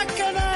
Ka kɛnɛ.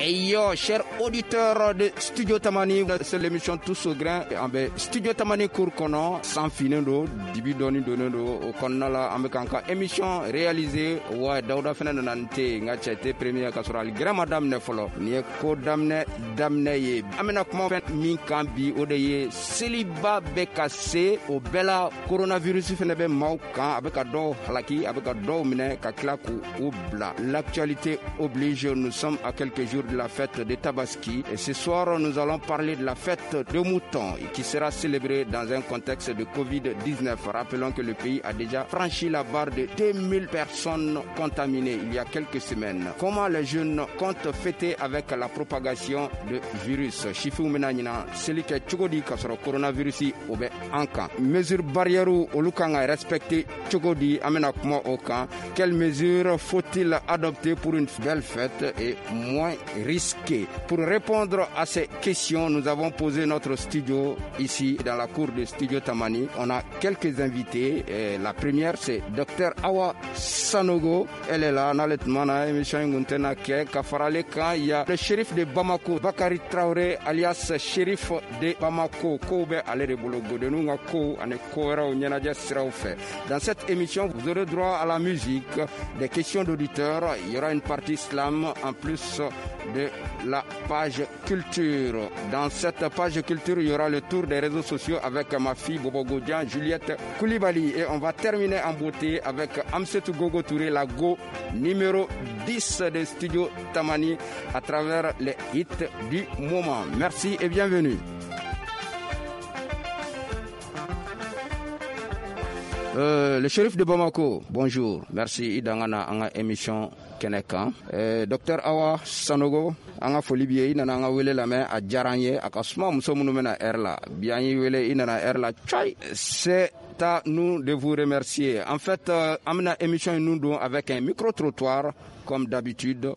Yo, chers auditeurs de Studio Tamani, c'est l'émission Tous au grain. An bɛ Studio Tamani cour kɔnɔ, san finnen don, dibi dɔɔni donnen don, o kɔnɔna la an bɛ k'an ka émission réaliser. Wa Dawuda fɛnɛ nana n te, n ka cɛ te premier ka sɔrɔ hali grain ma daminɛ fɔlɔ. Nin ye ko daminɛ daminɛ ye. An bɛna kuma fɛn min kan bi, o de ye seliba bɛ ka se, o bɛɛ la coronavirus fɛnɛ bɛ maaw kan, a bɛ ka dɔw halaki, a bɛ ka dɔw minɛ ka tila k'u bila. L'actualité oblige, nous sommes à quelques jours de la fête de Tabaski et ce soir nous allons parler de la fête de mouton qui sera célébrée dans un contexte de Covid-19. Rappelons que le pays a déjà franchi la barre de 2000 personnes contaminées il y a quelques semaines. Comment les jeunes comptent fêter avec la propagation de virus? Sifinw bɛna ɲinan seli kɛ cogo di k'a sɔrɔ coronavirus o bɛ an kan? Mesure barrière olu kan ka respecter cogo di? An bɛna kuma o kan. Quelles mesures faut-il adopter pour une belle fête et moins risquée? Pour répondre à ces questions, nous avons posé notre studio ici dans la cour de Studio Tamani. On a quelques invités. Et la première, c'est Dr Awa Sanogo. Elle est là, n'ale tuma na émission in kun tɛna kɛ ka fara ale kan. Il y a le shérif de Bamako, Bakary Traoré, alias shérif de Bamako. Kow bɛ ale de bolo, godenninw ka kow ani ko wɛrɛw ɲɛnajɛ siraw fɛ. Dans cette émission, vous aurez droit à la musique, des questions d'auditeurs. Il y aura une partie slam en plus de la page culture. Dans cette page culture, il y aura le tour des réseaux sociaux avec ma fille Bobo Godian, Juliette Koulibaly. Et on va terminer en beauté avec Amsetou Gogo Touré, la Go numéro 10 de Studio Tamani, à travers les hits du moment. Merci et bienvenue. Le shérif de Bamako, bonjour. Merci. I danga na an ka émission kɛnɛ kan. Docteur Awa Sanogo, an ka foli b'i ye. I nana an ka wele lamɛn, a diyara an ye. A ka suma muso minnu bɛna heure la. Bi an y'i wele, i nana heure la. Tchai! C'est à nous de vous remercier. En fait, an bɛna émission in nun don avec un micro-trottoir, comme d'habitude,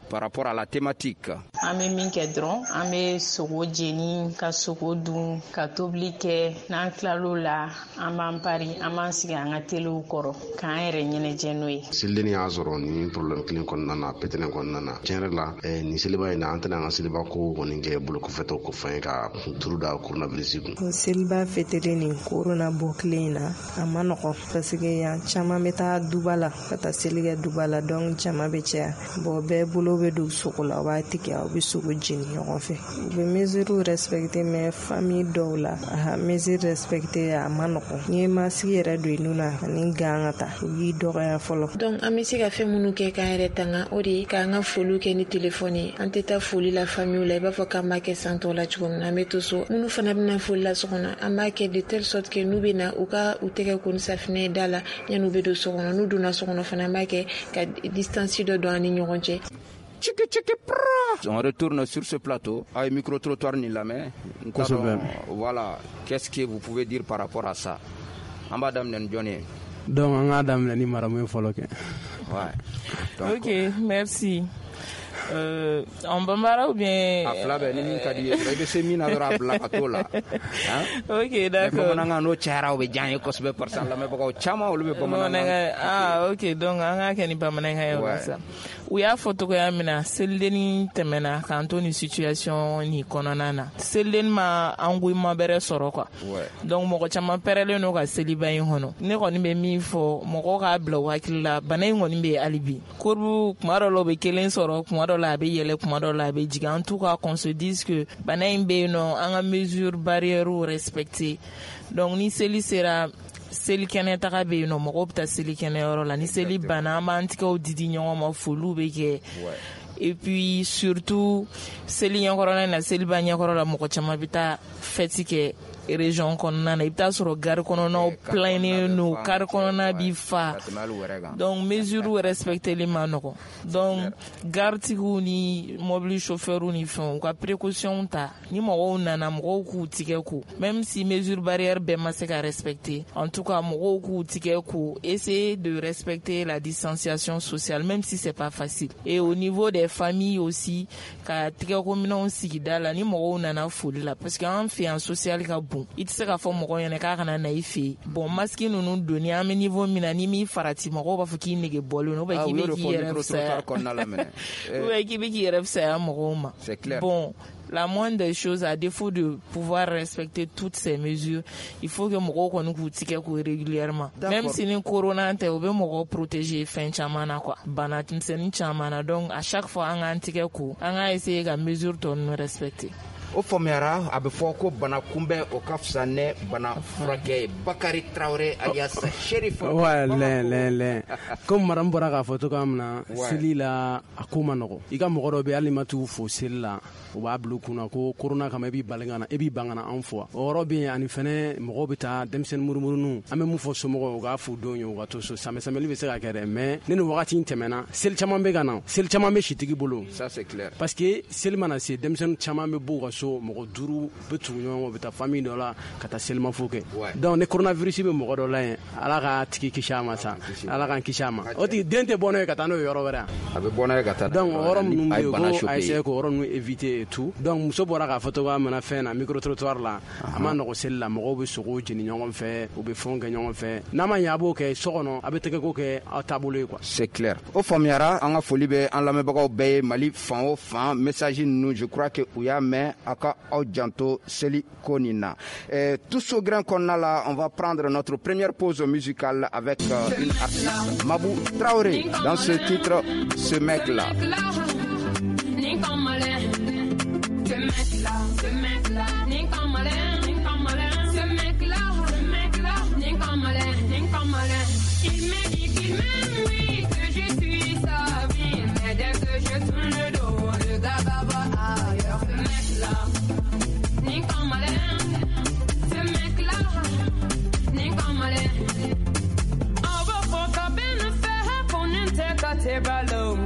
par rapport à la thématique. An bɛ min kɛ dɔrɔn, an bɛ sogo jeni, ka sogo dun, ka tobili kɛ. N'an tilal'o la, an b'an pari, an b'an sigi an ka telew kɔrɔ k'an yɛrɛ ɲɛnajɛ n'o ye. Selidenni y'a sɔrɔ nin problème kelen kɔnɔna na, pétrin kɔnɔna na. Tiɲɛ yɛrɛ la, nin seliba in na, an tɛna an ka seliba ko kɔni kɛ bolokɔfɛtɔ ko fɛn ye ka turu da coronavirus kun. Seliba fêtelen nin corona bɔ tile in na, a ma nɔgɔn parce que yan caman bɛ taa duba la ka taa seli kɛ duba la, donc jama bɛ caya. Bon, bɛɛ bolo bɛ don sogo la, u b'a tigɛ, aw bɛ sogo jeni ɲɔgɔn fɛ. U bɛ mesures respecter, mais famille dɔw la, a mesure respecter a ma nɔgɔn. N'i ye masque yɛrɛ don i nun na ani gant ka taa, u b'i dɔgɔya fɔlɔ. Donc an bɛ se ka fɛn minnu kɛ k'an yɛrɛ tanga, o de ye k'an ka foliw kɛ ni telefɔni ye. An tɛ taa foli la famille la i b'a fɔ k'an b'a kɛ san tɔw la cogo min na, an bɛ to so. Minnu fana bɛna foli la so kɔnɔ, an b'a kɛ de telle sorte que n'u bɛ na, u ka u tɛgɛ ko ni safinɛ ye da la yanni u bɛ don so kɔnɔ. N'u donna so kɔnɔ fana, an b'a kɛ ka distance dɔ don an ni ɲɔgɔn cɛ. Tchiki tchiki pra. On retourne sur ce plateau. Ah, micro-trottoir ni la main. Voilà. Qu'est-ce que vous pouvez dire par rapport à ça? An b'a daminɛ ni jɔn ye? Donc an k'a daminɛ ni maramu ye fɔlɔ kɛ. Ouais. Donc, ok, merci. En bambara ou bien. A fila bɛɛ ni min ka di ye, i bɛ se min na dɔrɔn a bila ka t'o la. Ok, d'accord. Bamanankan n'o cayara, o bɛ diya n ye kosɛbɛ parce que an lamɛnbagaw caman olu bɛ bamanankan. Ah ok, donc an k'a kɛ ni bamanankan ye o la sa. U y'a fɔ cogoya min na, selidenni tɛmɛna k'an to nin situation nin kɔnɔna na. Selidenni ma engouement bɛrɛ sɔrɔ quoi. Donc mɔgɔ caman pɛrɛlen don ka seliba in kɔnɔ. Ne kɔni bɛ min fɔ, mɔgɔw k'a bila u hakili la, bana in kɔni bɛ yen hali bi. Courbe kuma dɔ la u bɛ kelen sɔrɔ, kuma dɔ la a bɛ yɛlɛ, kuma dɔ la a bɛ jigin. En tout cas, qu'on se dise que bana in bɛ yen nɔ, an ka mesure barrière respecter. Donc ni seli sera, seli kɛnɛ taga bɛ yen nɔ, mɔgɔw bɛ taa seli kɛnɛ yɔrɔ la. Ni seli banna, an b'an tigɛw di di ɲɔgɔn ma, foliw bɛ kɛ. Et puis surtout seli ɲɛkɔrɔla in na, seliba ɲɛkɔrɔ la, mɔgɔ caman bɛ taa fête kɛ région kɔnɔna na. I bɛ taa sɔrɔ gare kɔnɔnaw pleinen don, car kɔnɔna bi fa. Donc mesure respecteli ma nɔgɔn. Donc gare tigiw ni mobili chauffeur ni fɛnw, u ka précaution ta. Ni mɔgɔw nana, mɔgɔw k'u tigɛ ko, même si mesure barrière bɛɛ ma se ka respecter, en tout cas mɔgɔw k'u tigɛ ko, essayer de respecter la distanciation sociale, même si c'est pas facile. Et au niveau des familles aussi, ka tigɛkominɛnw sigi da la ni mɔgɔw nana foli la, parce que an fɛ yan social ka bon. bon, i tɛ se k'a fɔ mɔgɔ ɲɛna k'a kana na i fɛ yen. Bon, masque ninnu donni, an bɛ niveau min na, n'i m'i farati, mɔgɔw b'a fɔ k'i nege bɔlen don, ou bien k'i bɛ k'i yɛrɛ fisaya, ou bien k'i bɛ k'i yɛrɛ fisaya mɔgɔw ma. C'est clair. Bon, la moindre des choses, à défaut de pouvoir respecter toutes ces mesures, il faut que mɔgɔw kɔni k'u tigɛ ko régulièrement. Même si ni corona tɛ, u bɛ mɔgɔw protéger fɛn caman na quoi, bana misɛnnin caman na. Donc à chaque fois, an k'an tigɛ ko, an k'a essayer ka mesure tɔ ninnu respecter. O faamuyara. A bɛ fɔ ko bana kunbɛn, o ka fisa ne bana furakɛ ye. Bakari Traoré alias Sheriff. Ouais, lɛn lɛn lɛn, comme madame bɔra k'a fɔ cogoya min na, seli la, a ko ma nɔgɔ. I ka mɔgɔ dɔ bɛ, hali ma t'u fo seli la, u b'a bila u kunna ko corona kama, e b'i bali ka na, e b'i ban ka na anw fo. O yɔrɔ bɛ yen. Ani fɛnɛ, mɔgɔw bɛ taa denmisɛnnin murumuruninw. An bɛ mun fɔ somɔgɔw, u k'a f'u denw ye u ka to so. Samɛ samɛli bɛ se ka kɛ dɛ, mais ni nin wagati in tɛmɛna, seli caman bɛ ka na, seli caman bɛ sitigi bolo. Ça, c'est clair. Parce que seli mana se, denmisɛnnin caman bɛ bɔ u ka so, mɔgɔ 5 bɛ tugu ɲɔgɔn kɔ, u bɛ taa famille dɔ la ka taa selimafo kɛ. Donc ni coronavirus bɛ mɔgɔ dɔ la yen, Ala k'a tigi kisi a ma sa, Ala k'an kisi a ma. O tigi den tɛ bɔ n'o ye ka taa n'o ye yɔrɔ wɛrɛ. A bɛ bɔ n'a ye ka taa. Donc o yɔrɔ minnu bɛ yen, ko a essayer k'o yɔrɔ ninnu éviter et tout. Donc muso bɔra k'a fɔ cogoya min na, fɛn na, micro trottoir la, a ma nɔgɔ seli la, mɔgɔw bɛ sogow jeni ɲɔgɔn fɛ, u bɛ fɛnw kɛ ɲɔgɔn fɛ. N'a ma ɲɛ, a b'o kɛ so kɔnɔ, a bɛ tɛgɛko kɛ aw taabolo ye quoi. C'est clair, o faamuyara. An ka foli bɛ an lamɛnbagaw bɛɛ ye Mali fan o fan. Message ninnu, je crois que u y'a mɛn. A ka aw janto seli ko nin na. Tous au grain kɔnɔna la, on va prendre notre première pause musicale avec une artiste, Mabou Traoré, dans ce titre, Ce mec là. Ce mec-là, ce mec-là, ce mec-là, ce mec-là, il me dit qu'il m'aime, oui, que je suis sa vie, mais dès que je tourne le dos, le gars va voir ailleurs. Ce mec-là, ce mec-là, on va faire ta belle faire pour nous te casser ballon,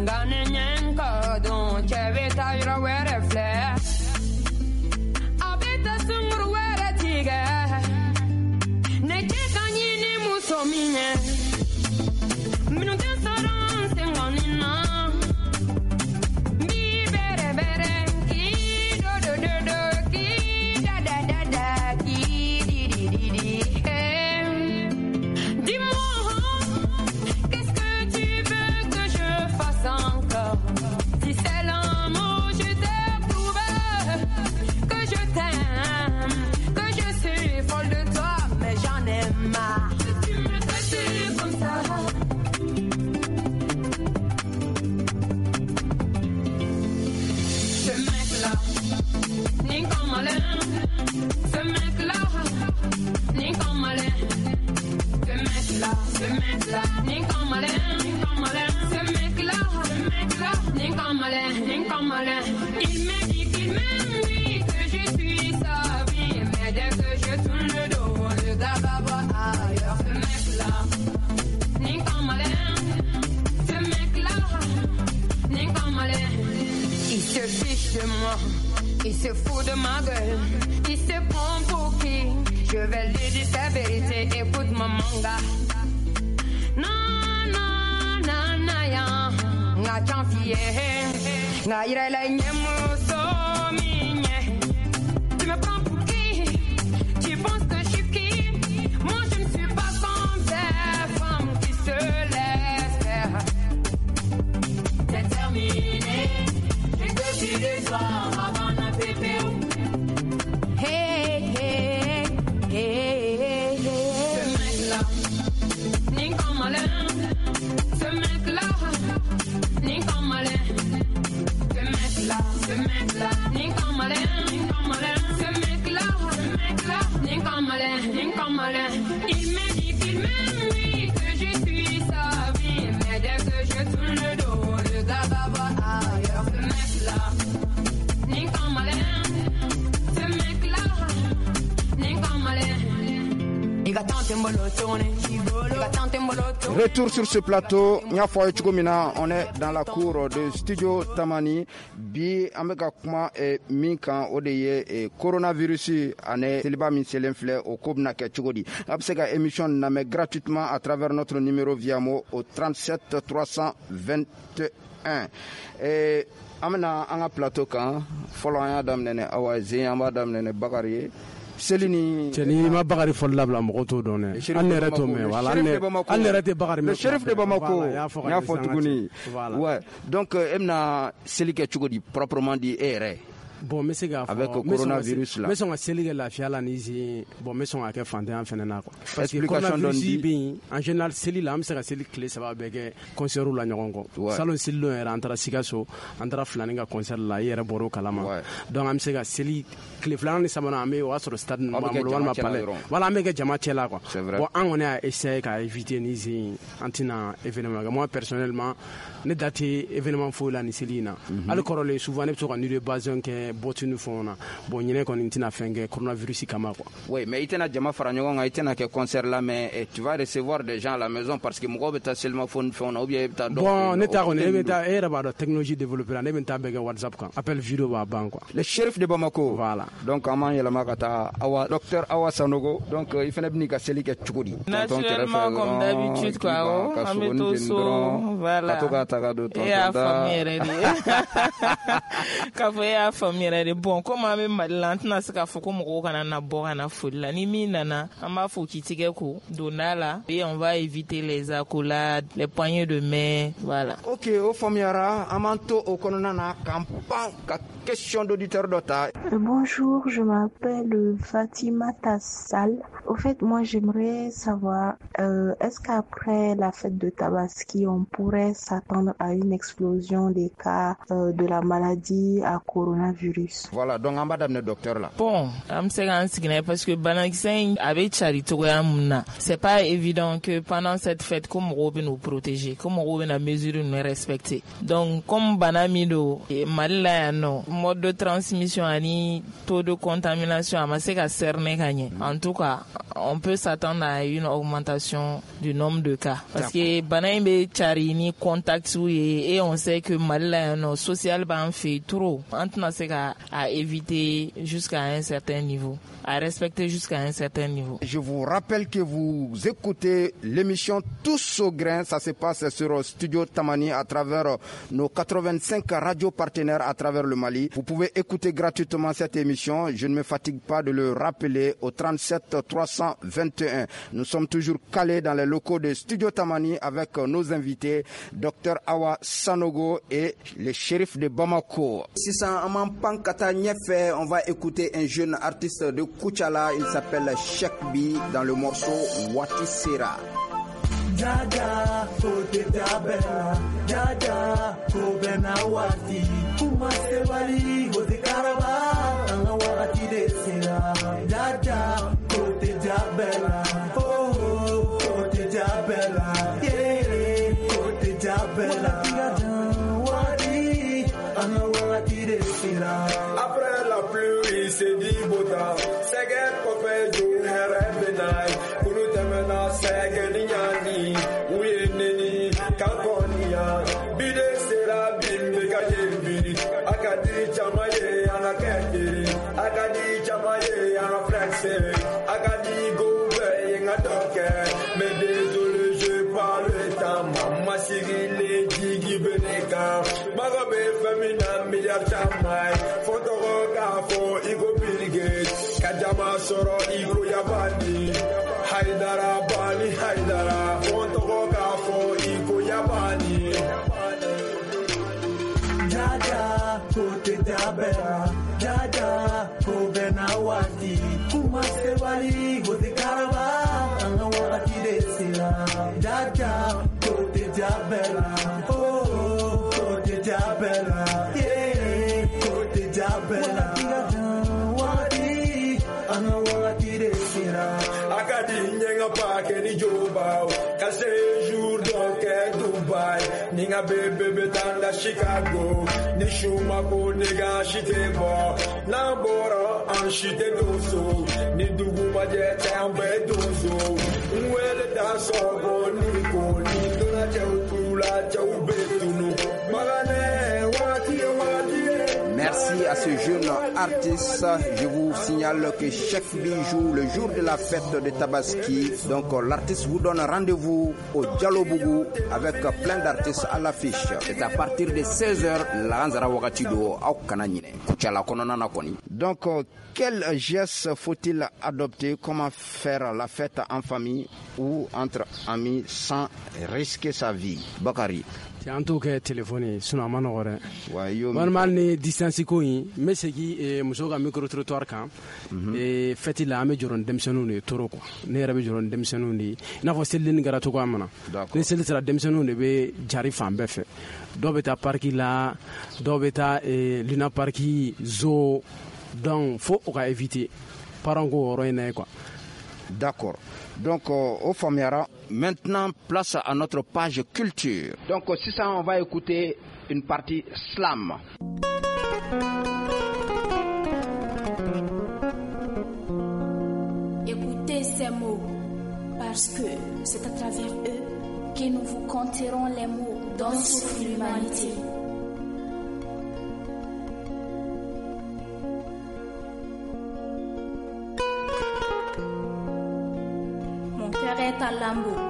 Il me dit qu'il m'aime, oui, que je suis sa vie, mais dès que je tourne le dos, le gars va voir ailleurs. Ce mec-là, ce mec-là, il se fiche de moi, il se fout de ma gueule, il se prend pour qui? Je vais lui dire sa vérité, écoute mon manga. Non, non, non, non, ya, nga chanfiye. Tu me prends pour qui? Tu penses que je suis qui? Moi je ne suis pas comme ces femmes qui se laissent faire. C'est terminé, j'ai que tu le soir avant un pépé. Hey, hey, hey, hey, hey. Ce mec-là, ni comme malin. Ce mec-là, ni comme malin. Ce mec-là, ni comme malin, ce mec-là, ni comme malin, ni comme malin. Il me dit qu'il m'aime, oui, que je suis sa vie, mais dès que je tourne le dos, le gars va voir ailleurs. Ce mec-là, ni comme malin, ce mec-là, ni comme malin. Retour sur ce plateau, on est dans la cour de Studio Tamani. Bi an bɛ ka kuma min kan, o de ye coronavirus ani seliba min selen filɛ, o ko bɛna kɛ cogo di. A bɛ se ka émission lamɛn gratuitement à travers notre numéro Viamo au 37 321. Et an bɛna an ka plateau kan fɔlɔ, an y'a daminɛ ni Awa Zen, an b'a daminɛ ni Bakari ye. Seli ni cɛ n'i ma Bakari fɔli labila mɔgɔw t'o dɔn dɛ. An yɛrɛ t'o mɛn, voilà, an yɛrɛ tɛ Bakari mɛn. Le shérif de Bamako, n y'a fɔ tuguni. Ouais, donc e bɛna seli kɛ cogo di proprement dit e yɛrɛ? Bon, n bɛ se k'a fɔ avec coronavirus la, n bɛ sɔn ka seli kɛ lafiya la ni zen. Bon, n bɛ sɔn ka kɛ fantanya fɛnɛ na quoi. Parce que coronavirus bɛ yen, en général seli la an bɛ se ka seli tile 3 bɛɛ kɛ concert la ɲɔgɔn kɔ. Salon selidon yɛrɛ an taara Sikaso, an taara Filani ka concert la, i yɛrɛ bɔr'o kalama. Donc an bɛ se ka seli tile 2 ni 3nan, an bɛ o y'a sɔrɔ stade ninnu b'an bolo walima palais. Voilà, an bɛ kɛ jama cɛ la quoi. Bon, an kɔni y'a essayer ka éviter ni zen, an tɛna événement kɛ. Moi personnellement, ne da tɛ événement foyi la ni seli in na. Hali kɔrɔlen souvent ne bɛ to ka nuit de bazin kɛ bɔti ni fɛnw na. Bon, ɲinɛ kɔni n tɛna fɛn kɛ coronavirus kama quoi. Oui, mais i tɛna jama fara ɲɔgɔn kan, i tɛna kɛ concert la, mais tu vas recevoir des gens à la maison parce que mɔgɔw bɛ taa selimafo ni fɛnw na ou bien e bɛ taa dɔw. Bon, ne ta kɔni, e bɛ taa, e yɛrɛ b'a dɔn technologie développée la, ne bɛ n ta bɛɛ kɛ WhatsApp kan, appel vidéo b'a ban quoi. Le shérif de Bamako. Voilà. Donc an b'an yɛlɛma ka taa Awa, docteur Awa Sanogo. Donc i fana bɛ n'i ka seli kɛ cogo di? Naturellement, comme d'habitude quoi, an bɛ to so, voilà. Ka to k'a ta ka don tonton da. E y'a faamu yɛrɛ de. K'a fɔ e y'a faamu yɛrɛ de. Bon, comme an bɛ Mali la, an tɛna se k'a fɔ ko mɔgɔw kana na bɔ ka na foli la. Ni min nana, an b'a fɔ k'i tigɛ ko donda la, et on va éviter les accolades, les poignées de main, voilà. Ok, o faamuyara. An b'an to o kɔnɔna na k'an pan ka question d'auditeur dɔ ta. Bonjour, je m'appelle Fatima Tassal. Au fait, moi j'aimerais savoir, est-ce qu'après la fête de Tabaski, on pourrait s'attendre à une explosion des cas de la maladie à coronavirus? Voilà, donc an b'a daminɛ docteur la. Bon, an bɛ se k'an sigi n'a ye parce que banakisɛ in a bɛ cari cogoya mun na, c'est pas évident que pendant cette fête ko mɔgɔw bɛ n'u protéger, ko mɔgɔw bɛna mesure ninnu respecter. Donc comme bana min don Mali la yan nɔ, mode de transmission ani taux de contamination a ma se ka cerner ka ɲɛ. En tout cas, on peut s'attendre à une augmentation du nombre de cas parce que bana in bɛ cari ni contact ye, et on sait que Mali la yan nɔ social b'an fɛ trop, an tɛna se ka a éviter jusqu'à un certain niveau, à respecter jusqu'à un certain niveau. Je vous rappelle que vous écoutez l'émission Tous au grain, ça se passe sur Studio Tamani à travers nos 85 radios partenaires à travers le Mali. Vous pouvez écouter gratuitement cette émission, je ne me fatigue pas de le rappeler, au 37 321. Nous sommes toujours calés dans les locaux de Studio Tamani avec nos invités, Dr Awa Sanogo et le shérif de Bamako. Sisan an b'an pan ka taa ɲɛfɛ, on va écouter un jeune artiste de Koutiala, il s'appelle Cheikh Bi dans le morceau Wati Sera. Jaja, kote tabela, jaja, kobena wati, kuma sebali, gote karaba, anga wakati de sera. Jaja, kote tabela, oh, oh, kote tabela, yeah, kote tabela. Wati, anga wakati de sera. Après la pluie, c'est du beau temps. Sɛgɛ kɔfɛ jo hɛrɛ bɛ na ye. Kulu tɛmɛna sɛgɛ ni ɲani. U ye neni k'an kɔniya. Bi de sera bi n bɛ ka ye bi. A ka di caman ye an ka kɛ kelen. A ka di caman ye an ka flexer. A ka di go bɛɛ ye n ka dɔ kɛ. Mais désolé, je parle temps. Ma sigilen jigi bɛ ne kan. Mago bɛ fɛn min na miliyari caman ye. Fo tɔgɔ k'a fɔ i ko Bill Gates. Ka jama sɔrɔ i ko Yabani. Haidara Bani Haidara. Fo tɔgɔ k'a fɔ i ko Yabani. Jaja, kote tabela, jaja, kobena wati, kuma sebali, gote karaba, anga wakati de sera. Jaja, kote tabela, oh, oh, kote tabela, yeah, kote tabela. Wati, anga wakati de sera. Akadi nyenga pake ni joba, ka séjour donc Dubai, ni nga bébé betanda Chicago, ni shuma ko nigga shite bo, na bora an shite doso, ni dugu maje tambe doso, nwele da so ni ko ni dona chau tula chau betunu, magane wati wati. Merci. Merci à ce jeune artiste. Je vous signale que Chef B joue le jour de la fête de Tabaski. Donc l'artiste vous donne rendez-vous au Dialobougou avec plein d'artistes à l'affiche. C'est à partir de 16h, laansara wagati do aw kana ɲinɛ Kucala kɔnɔna na kɔni. Donc quel geste faut-il adopter? Comment faire la fête en famille ou entre amis sans risquer sa vie? Bakary. An t'o kɛ telefɔni ye, sinon a ma nɔgɔ dɛ. Walima hali ni distance ko in, n bɛ segin musow ka micro trottoir kan. Fête la, an bɛ jɔrɔ ni denmisɛnninw de ye trop quoi. Ne yɛrɛ bɛ jɔrɔ ni denmisɛnninw de ye, i n'a fɔ selidenni kɛra cogoya min na. Ni seli sera, denmisɛnninw de bɛ jari fan bɛɛ fɛ. Dɔw bɛ taa parc la, dɔw bɛ taa Luna Park, zoo. Donc fo o ka éviter, parents k'o yɔrɔ in na ye quoi. D'accord. Donc, au faamuyara, maintenant, place à notre page culture. Donc, si ça, on va écouter une partie slam. Écoutez ces mots, parce que c'est à travers eux que nous vous conterons les mots dont souffre l'humanité. Est à lambeaux.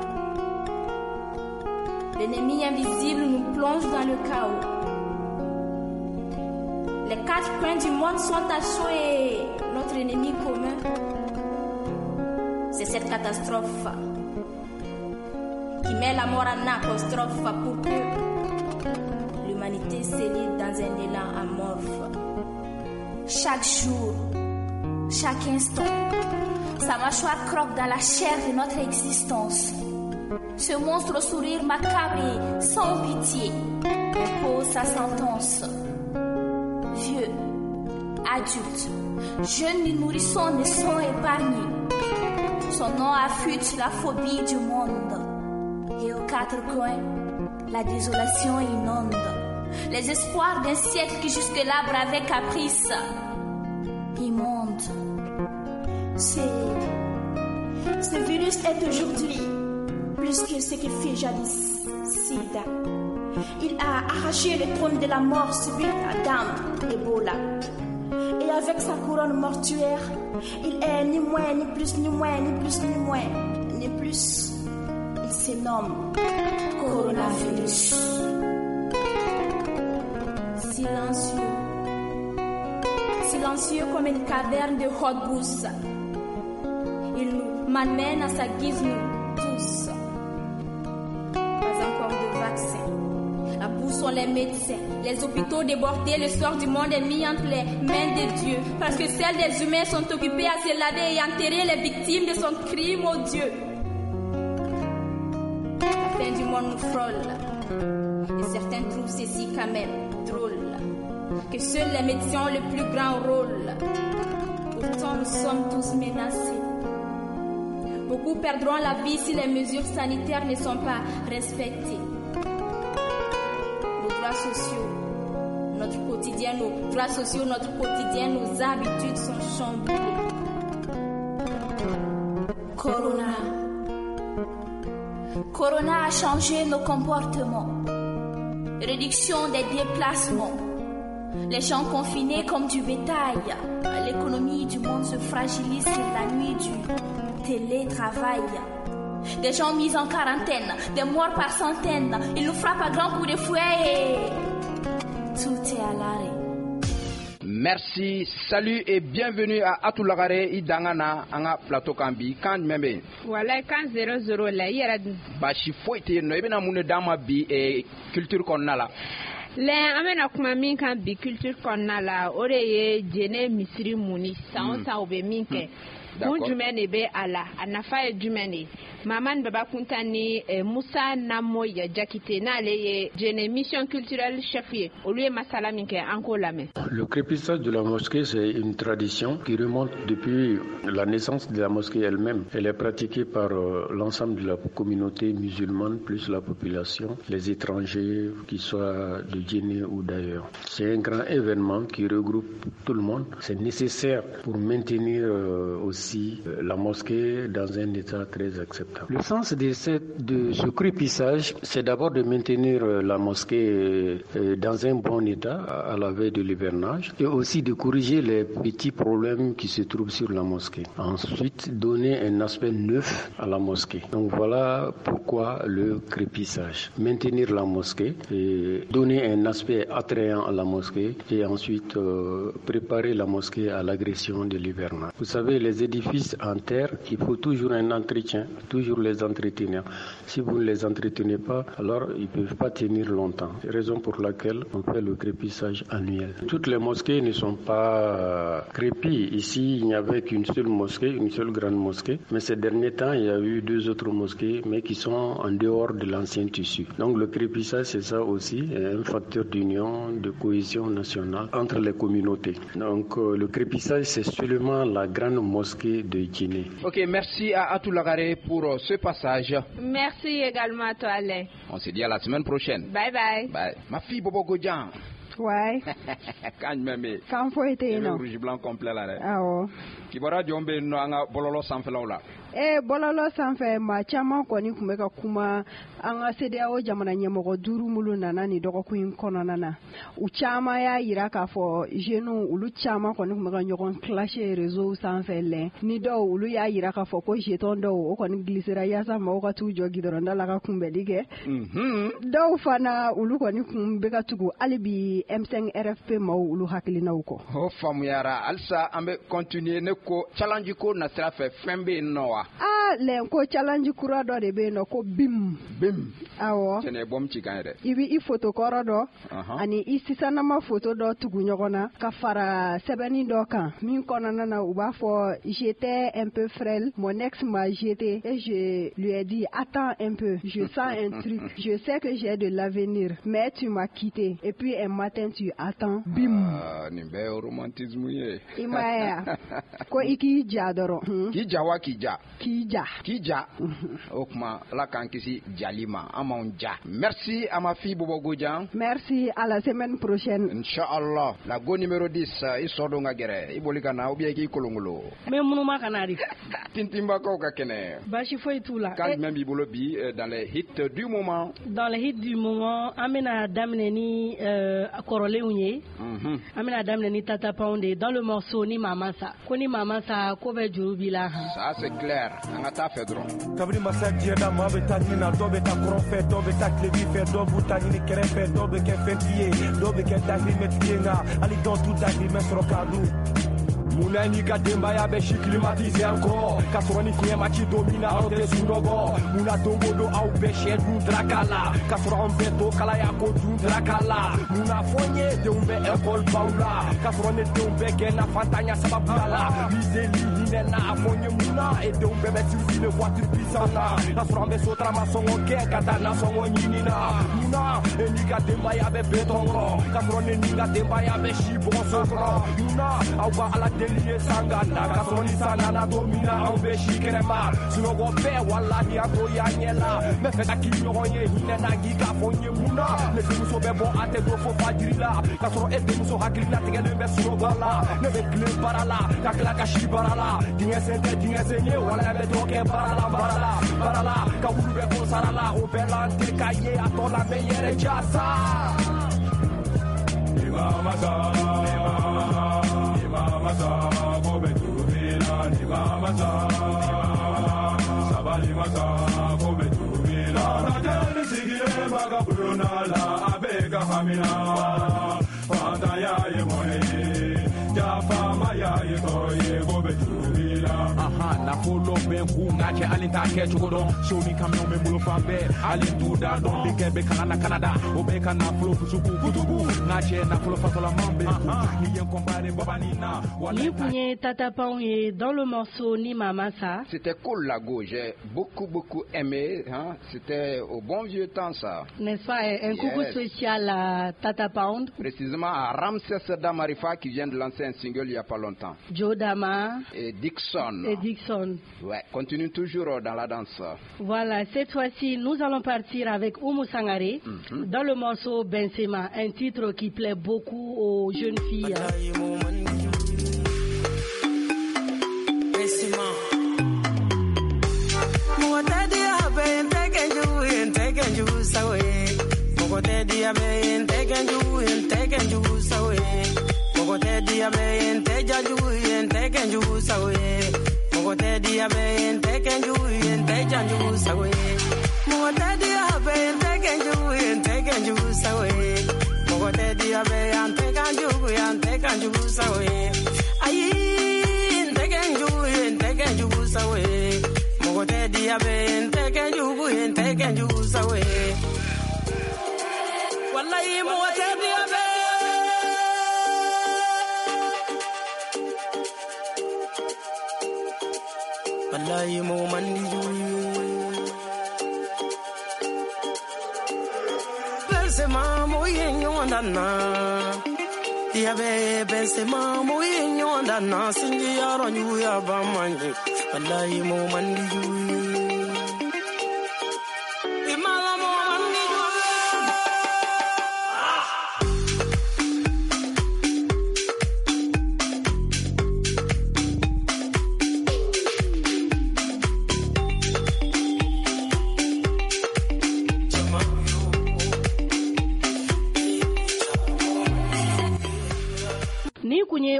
L'ennemi invisible nous plonge dans le chaos. Les quatre coins du monde sont à chaud et notre ennemi commun, c'est cette catastrophe qui met la mort en apostrophe pour que l'humanité s'élite dans un élan amorphe. Chaque jour, chaque instant, sa mâchoire croque dans la chair de notre existence. Ce monstre au sourire macabre et sans pitié pose sa sentence. Vieux, adultes, jeunes et nourrissons ne sont épargnés. Son nom affûte la phobie du monde. Et aux quatre coins, la désolation inonde. Les espoirs d'un siècle qui jusque-là bravait caprice. Immonde. Ce virus est aujourd'hui plus que ce qui fut jadis sida. Il a arraché le trône de la mort subite à Adam, Ebola. Et avec sa couronne mortuaire, il est ni moins, ni plus, ni moins, ni plus, ni moins, ni plus. Il se nomme coronavirus. Silencieux. Silencieux comme une caverne de haute brousse. Il nous malmène à sa guise, nous tous. Pas encore de vaccin. À bout sont les médecins, les hôpitaux débordés, le sort du monde est mis entre les mains de Dieu. Parce que celles des humains sont occupées à se laver et enterrer les victimes de son crime odieux. La fin du monde nous frôle. Et certains trouvent ceci quand même drôle. Que seuls les médecins ont le plus grand rôle. Pourtant, nous sommes tous menacés. Beaucoup perdront la vie si les mesures sanitaires ne sont pas respectées. Nos droits sociaux, notre quotidien, nos droits sociaux, notre quotidien, nos habitudes sont chamboulées. Corona. Corona a changé nos comportements. Réduction des déplacements. Les gens confinés comme du bétail. L'économie du monde se fragilise la nuit du télétravail. Des gens mis en quarantaine, des morts par centaines. Ils nous frappent à grands coups de fouet et tout est à l'arrêt. Merci, salut et bienvenue à Atou Lagare i dangana an ka plateau kan bi kan jumɛn bɛ yen? Walayi kan 00 la i yɛrɛ dun? Baasi foyi tɛ yen nɔ, i bɛna mun de d'an ma bi culture kɔnɔna la? Lɛ an bɛna kuma min kan bi culture kɔnɔna la, o de ye jɛnɛ misiri muni san o san u bɛ min kɛ. Kun jumɛn de bɛ a la, a nafa ye jumɛn de ye? Mamani Baba Kunta ni Musa Namoya Jakite n'ale ye jɛnɛ mission culturelle chef ye, olu ye masala min kɛ an k'o lamɛn. Le crépissage de la mosquée, c'est une tradition qui remonte depuis la naissance de la mosquée elle-même. Elle est pratiquée par l'ensemble de la communauté musulmane, plus la population, les étrangers, qu'ils soient de Djenné ou d'ailleurs. C'est un grand événement qui regroupe tout le monde. C'est nécessaire pour maintenir aussi la mosquée dans un état très acceptable. Le sens de ce crépissage, c'est d'abord de maintenir la mosquée dans un bon état à la veille de l'hivernage et aussi de corriger les petits problèmes qui se trouvent sur la mosquée. Ensuite, donner un aspect neuf à la mosquée. Donc voilà pourquoi le crépissage. Maintenir la mosquée et donner un aspect attrayant à la mosquée et ensuite préparer la mosquée à l'agression de l'hivernage. Vous savez, les édifices en terre, il faut toujours un entretien, toujours les entretenir. Si vous ne les entretenez pas, alors ils ne peuvent pas tenir longtemps. Raison pour laquelle on fait le crépissage annuel. Toutes les mosquées ne sont pas crépies. Ici, il n'y avait qu'une seule mosquée, une seule grande mosquée. Mais ces derniers temps, il y a eu deux autres mosquées, mais qui sont en dehors de l'ancien tissu. Donc le crépissage, c'est ça aussi, un facteur d'union, de cohésion nationale entre les communautés. Donc le crépissage, c'est seulement la grande mosquée de Djenné. Ok, merci à Atou Lagaré pour ce passage. Merci également à toi, Alain. On se dit à la semaine prochaine. Bye bye. Bye. Ma fille Bobo Godjan. Ouais. Kan jumɛn bɛ yen? Kan foyi tɛ yen nɔ. Rouge blanc complet la dɛ. Awɔ. Kibaruya jɔn bɛ yen nɔ an ka bɔlɔlɔ sanfɛlaw la? Bɔlɔlɔ sanfɛ maa caman kɔni tun bɛ ka kuma an ka CEDEAO jamana ɲɛmɔgɔ duuru minnu nana nin dɔgɔkun in kɔnɔna na. U caman y'a yira k'a fɔ jeunes olu caman kɔni tun bɛ ka ɲɔgɔn clasher réseau sanfɛ lɛ. Ni dɔw olu y'a yira k'a fɔ ko jeton dɔw o kɔni glissera yaasa maaw ka t'u jɔ gidɔrɔnda la ka kunbɛli kɛ. Dɔw fana olu kɔni tun bɛ ka tugu hali bi M5 RFP maaw olu hakilinaw kɔ. O faamuyara halisa an bɛ continuer ne ko challenge ko nasira fɛ fɛn bɛ yen nɔ wa? Ah lɛn ko challenge kura dɔ de bɛ yen nɔ ko BIM. BIM. Awɔ. Cɛnɛ bɔm ci kan yɛrɛ. I bɛ i photo kɔrɔ dɔ. Ani i sisanama photo dɔ tugu ɲɔgɔn na ka fara sɛbɛnni dɔ kan min kɔnɔna na u b'a fɔ j'étais un peu frêle, mon ex m'a jeté et je lui ai dit attends un peu, je sens un truc, je sais que j'ai de l'avenir, mais tu m'as quitté et puis un matin tu attends. BIM. Ah, nin bɛɛ ye romantisme ye. I m'a ye wa? Ko i k'i ja dɔrɔn. K'i ja wa k'i ja? K'i ja. K'i ja. O tuma Ala k'an kisi jali ma, an m'anw ja. Merci à ma fille Bobo Godjan. Merci, à la semaine prochaine. Inch'Allah. La go numéro 10, i sɔ don ka gɛrɛ. I boli ka na ou bien i k'i kolongolo. N bɛ munuma ka na de. Tintinbakaw ka kɛnɛ. Baasi foyi t'u la. Kan jumɛn b'i bolo bi dans les hits du moment? Dans les hits du moment, an bɛna daminɛ ni kɔrɔlenw ye. An bɛna daminɛ ni Tata Pound de dans le morceau ni Mama Sa. Ko ni Mama Sa ko bɛ juru b'i la. Ça c'est clair. An ka taa fɛ dɔrɔn. Kabini masa diɲɛ da maa bɛ taa ɲini na, dɔw bɛ taa kɔrɔn fɛ, dɔw bɛ taa tilebin fɛ, dɔw b'u ta ɲini kɛrɛfɛ, dɔw bɛ kɛ fɛntigi ye, dɔw bɛ kɛ dahirimɛtigi ye, nka hali dɔw t'u dahirimɛ sɔrɔ k'a dun. Munna n'i ka denbaya bɛ si climatisé an kɔrɔ k'a sɔrɔ ni fiɲɛ ma ci don min na aw tɛ sunɔgɔ? Munna don o don aw bɛ sɛ dun daraka la k'a sɔrɔ anw bɛɛ to kalaya ko dun daraka la? Munna fɔ n ye denw bɛ école baw la k'a sɔrɔ ne denw bɛɛ gɛnna fantanya sababuya la? Miseli hinɛ na a fɔ n ye munna e denw bɛɛ bɛ circuler voiture puissante na k'a sɔrɔ an bɛ sotarama sɔngɔ kɛ ka taa nasɔngɔ ɲini na? Munna e n'i ka denbaya bɛ béton kɔrɔ k'a sɔrɔ ne n'i ka denbaya bɛ si bɔgɔso kɔrɔ? Munna aw ka ala deli ye sanga na k'a sɔrɔ ni san nana don min na anw bɛ si kɛnɛma sunɔgɔ bɛɛ walahi an t'o y'an ɲɛ la. N bɛ fɛ ka k'i ɲɔgɔn ye hinɛ na k'i k'a fɔ n ye mun na ne denmuso bɛ bɔ a tɛ don fo fajiri la k'a sɔrɔ e denmuso hakilina tigɛlen bɛ sunɔgɔ la. Ne bɛ tilen baara la ka tila ka si baara la, dingɛ sen tɛ dingɛ sen ye walahi bɛ dɔ kɛ baara la baara la baara la ka wulu bɛ ko sara la o bɛɛ la n tɛ k'a ye a tɔ la n bɛ yɛrɛ jasa. Mama sa, mama sa, ko bɛ juru b'i la. Ni mama sa, sabali masa, ko bɛ juru b'i la. Lajɛli sigilen b'a ka bulonda la, a bɛ ka hamina. Fantanya ye mɔnɛ ye, jafaamaya ye tɔɔrɔ ye, ko bɛ juru b'i la. Nafolo bɛ n kun nka cɛ hali t'a kɛ cogo dɔn. So ni camion bɛ n bolo fan bɛɛ hali n t'u da dɔn. Denkɛ bɛ kalan na Canada o bɛ ka nafolo fusuku kutubu. Nka cɛ nafolo fasolaman bɛ n kun n'i ye n comparé babani na. Nin kun ye Tata Pound ye dans le morceau Ni Mama Sa. C'était cool Lago, j'ai beaucoup beaucoup aimé, hein? C'était au bon vieux temps ça. N'est-ce pas? Un coucou spécial à Tata Pound. Précisément à Ramsès Damarifa qui vient de lancer un single il y a pas longtemps. Joe Dama et Dixon. Dixon. Ouais, continue toujours dans la danse. Voilà, cette fois-ci, nous allons partir avec Oumou Sangaré dans le morceau Benzema, un titre qui plaît beaucoup aux jeunes filles. Wallahi mo mandi Benzema mo yenyo ndana Diabe Benzema mo yenyo ndana sinji yaro nyuya bamanji Wallahi mo mandi Imala mo mandi.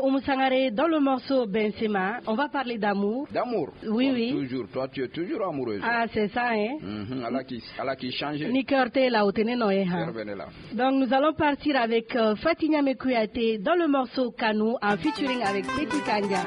Oumou Sangaré, dans le morceau Benzema, on va parler d'amour. D'amour. Oui, oui. Toujours, toi tu es toujours amoureuse. Ah, c'est ça, hein. Allah qui change. Ni cœur là, au tenez, non, hein. Donc nous allons partir avec Fatima Kouyaté dans le morceau Kanou en featuring avec Petit Kanja.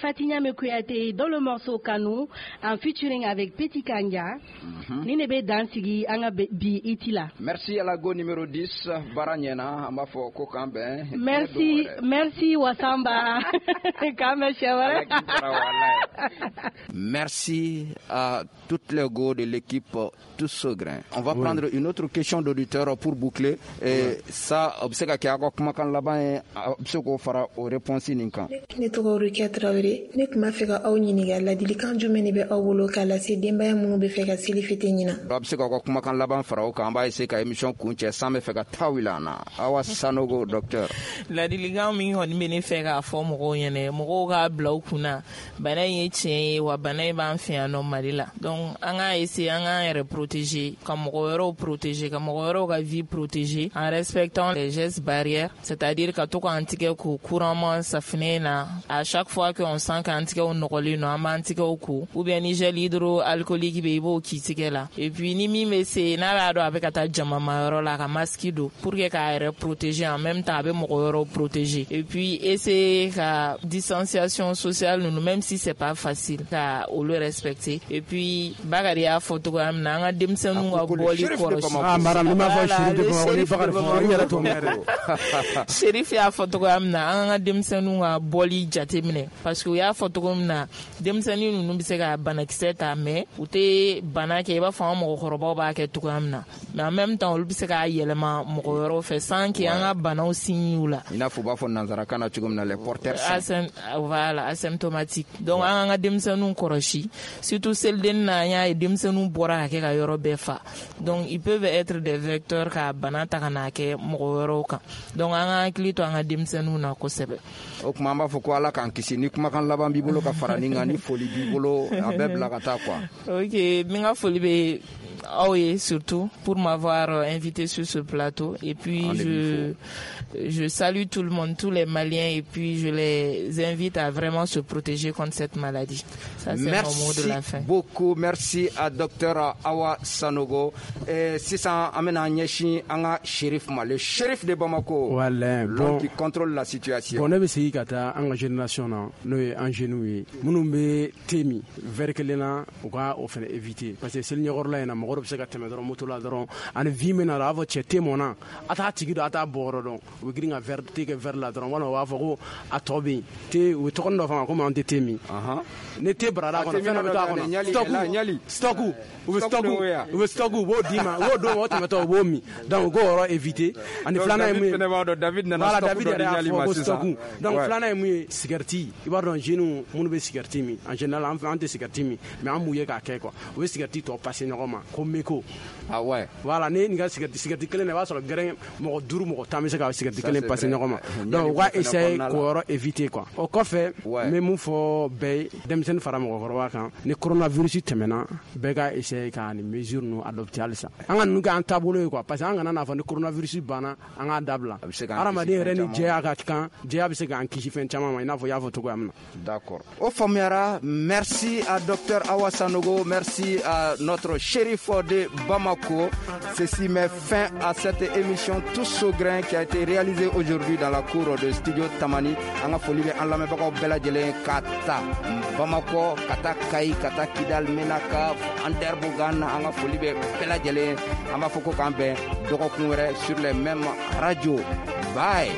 Fatima Kouyaté dans le morceau Kanou en featuring avec Petit Kanja. Ni nebe dansigi anga bi itila. Merci à la go numéro 10 Baranyena ambafo ko kambe. Merci, merci Wasamba. Kame chewere. Merci à toutes les go de l'équipe Tous au grain. On va prendre une autre question d'auditeur pour boucler et ça obseka ki akwa kumakan laban obseko fara o réponse ninkan. Ne tɔgɔ Rokia Traoré. Ne tun b'a fɛ ka aw ɲininka, ladilikan jumɛn de bɛ aw bolo k'a lase denbaya minnu bɛ fɛ ka seli fêter ɲinan? A bɛ se k'aw ka kumakan laban fara o kan, an b'a essayer ka émission kuncɛ, san bɛ fɛ ka taa wuli an na. Awa Sanogo, docteur. Ladilikan min kɔni bɛ ne fɛ k'a fɔ mɔgɔw ɲɛna, mɔgɔw k'a bila u kunna, bana in ye tiɲɛ ye, wa bana in b'an fɛ yan nɔ Mali la. Donc an k'a essayer an k'an yɛrɛ protéger, ka mɔgɔ wɛrɛw protéger, ka mɔgɔ wɛrɛw ka vie protéger en respectant les gestes barrières, c'est-à-dire ka to k'an tigɛ ko couramment safinɛ na. À chaque fois qu'on sent k'an tigɛw nɔgɔlen don, an b'an tigɛw ko, ou bien ni gel hydroalcoolique bɛ, i b'o k'i tigɛ la. Et puis ni min bɛ se, n'a b'a dɔn a bɛ ka taa jamamayɔrɔ la, ka masque don pour que k'a yɛrɛ protéger, en même temps a bɛ mɔgɔ wɛrɛw protéger. Et puis essayer ka distanciation sociale ninnu, même si c'est pas facile, ka olu respecter. Et puis Bakari y'a fɔ cogoya min na, an ka denmisɛnninw ka bɔli kɔlɔsi. Ah, madame, ni m'a fɔ Chérif de Bamako, ni Bakari fɔ, n yɛrɛ t'o mɛn dɛ. Chérif y'a fɔ cogoya min na, an ka denmisɛnninw ka bɔli jateminɛ, parce que u y'a fɔ cogo min na, denmisɛnnin ninnu bɛ se ka banakisɛ ta, mais u tɛ bana kɛ i b'a fɔ an mɔgɔkɔrɔbaw b'a kɛ cogoya min na, mais en même temps olu bɛ se k'a yɛlɛma mɔgɔ wɛrɛw fɛ sans que an ka banaw signe u la. I n'a fɔ u b'a fɔ nanzarakan na cogo min na, les porteurs sains. Voilà, asymptomatique. Donc an ka denmisɛnninw kɔlɔsi, surtout selidenni na, an y'a ye denmisɛnninw bɔra ka kɛ ka yɔrɔ bɛɛ fa. Donc ils peuvent être des vecteurs ka bana ta ka n'a kɛ mɔgɔ wɛrɛw kan. Donc an ka hakili to an ka denmisɛnninw na kosɛbɛ. O tuma an b'a fɔ ko Ala k'an kisi. Ni kumakan laban b'i bolo ka fara nin kan, ni foli b'i bolo, a bɛɛ bila ka taa quoi. Ok, n ka foli bɛ aw ye, surtout pour m'avoir invité sur ce plateau. Et puis je salue tout le monde, tous les Maliens, et puis je les invite à vraiment se protéger contre cette maladie. Ça, c'est mon mot de la fin. Merci beaucoup. Merci à docteur Awa Sanogo. Sisan an bɛna ɲɛsin an ka Chérif ma, le Chérif de Bamako. Voilà, l'homme bon, qui contrôle la situation. Bon, ne bɛ segin ka taa an ka génération na, n'o ye an jeunes ye minnu bɛ thé min verre kelen na, u ka o fana éviter, parce que seli ɲɛkɔrɔla in na, mɔgɔ dɔ bɛ se ka tɛmɛ dɔrɔn moto la dɔrɔn ani vie min na, a b'a fɔ cɛ thé mɔnna, a t'a tigi dɔn, a t'a bɔ yɔrɔ dɔn, u bɛ girin ka verre thé kɛ verre la dɔrɔn, walima u b'a fɔ ko a tɔ bɛ yen thé, u bɛ tɔgɔnin dɔ fɔ a ma komi an tɛ thé min. Ni thé barala kɔnɔ, fɛn dɔ bɛ to a kɔnɔ, stock, u bɛ stock, u bɛ stock, u b'o d'i ma, u b'o d'o ma, o tɛmɛtɔ u b'o min. Donc u k'o yɔrɔ éviter. Ani filanan ye mun ye? David nana. Voilà, David yɛrɛ y'a fɔ ko stock. Donc filanan ye mun ye? Cigarette. I b'a dɔn, jeunes minnu bɛ cigarette min, en général an tɛ cigarette min, mais an b'u ye k'a kɛ quoi, u bɛ cigarette tɔ passer ɲɔgɔn ma ko mégot. Ah ouais. Voilà, ni nin ka cigarette kelen na, i b'a sɔrɔ gɛrɛn mɔgɔ duuru, mɔgɔ 10 bɛ se ka cigarette kelen passer ɲɔgɔn ma. Donc u ka essayer k'o yɔrɔ éviter quoi. O kɔfɛ, n bɛ mun fɔ bɛɛ ye, denmisɛnnin fara mɔgɔkɔrɔba kan, ni coronavirus tɛmɛna, bɛɛ ka essayer ka nin mesure ninnu adopter halisa. An ka ninnu kɛ an taabolo ye quoi, parce que an kana n'a fɔ ni coronavirus banna an k'a dabila. Hadamaden yɛrɛ ni jɛya ka kan, jɛya bɛ se k'an kisi fɛn caman ma, i n'a fɔ i y'a fɔ cogoya min na. D'accord. O faamuyara. Merci à docteur Awa Sanogo, merci à notre Chérif de Bamako. Ceci met fin à cette émission Tous au grain qui a été réalisée aujourd'hui dans la cour de Studio Tamani. An ka foli bɛ an lamɛnbagaw bɛɛ lajɛlen, ka ta Bamako ka taa Kayi, ka taa Kidal, Menaka, Anderbogan, an ka foli bɛ bɛɛ lajɛlen. An b'a fɔ ko k'an bɛn dɔgɔkun wɛrɛ sur les mêmes radios. Bye.